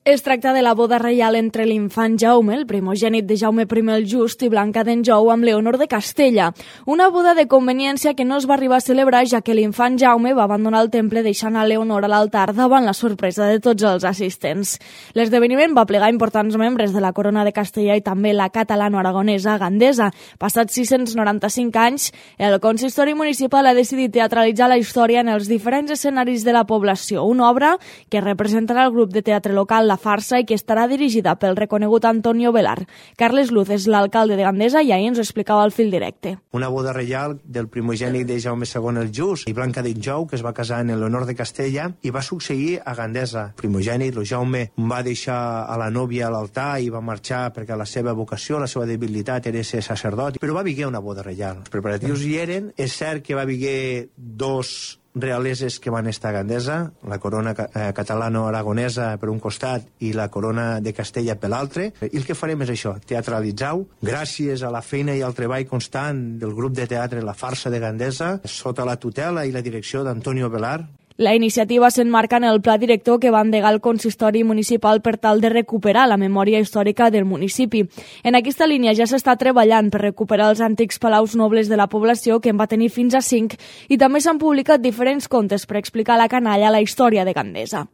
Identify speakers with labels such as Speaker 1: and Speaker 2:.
Speaker 1: Es tracta de la boda reial entre l'infant Jaume, el primogènit de Jaume I el Just, i Blanca d'Anjou amb Leonor de Castella. Una boda de conveniència que no es va arribar a celebrar, ja que l'infant Jaume va abandonar el temple deixant a Leonor a l'altar davant la sorpresa de tots els assistents. L'esdeveniment va plegar importants membres de la corona de Castella i també la catalano-aragonesa Gandesa. Passats 695 anys, el consistori municipal ha decidit teatralitzar la història en els diferents escenaris de la població, una obra que representarà el grup de teatre local La Farsa i que estarà dirigida pel reconegut Antonio Velar. Carles Luz és l'alcalde de Gandesa i ahir ens ho explicava al fil directe.
Speaker 2: Una boda reial del primogènit de Jaume II el Just i Blanca d'Anjou, que es va casar en l'honor de Castella i va succeir a Gandesa. El primogènit, el Jaume, va deixar a la nòvia a l'altar i va marxar perquè la seva vocació, la seva debilitat era ser sacerdot, però va haver una boda reial. Els preparatius hi eren. És cert que va haver dos realeses que van estar a Gandesa, la corona catalano-aragonesa per un costat i la corona de Castella per l'altre. I el que farem és això, teatralitzar-ho, gràcies a la feina i al treball constant del grup de teatre La Farsa de Gandesa, sota la tutela i la direcció d'Antonio Velar.
Speaker 1: La iniciativa s'emmarca en el pla director que va endegar el consistori municipal per tal de recuperar la memòria històrica del municipi. En aquesta línia ja s'està treballant per recuperar els antics palaus nobles de la població, que en va tenir fins a 5, i també s'han publicat diferents contes per explicar a la canalla la història de Gandesa.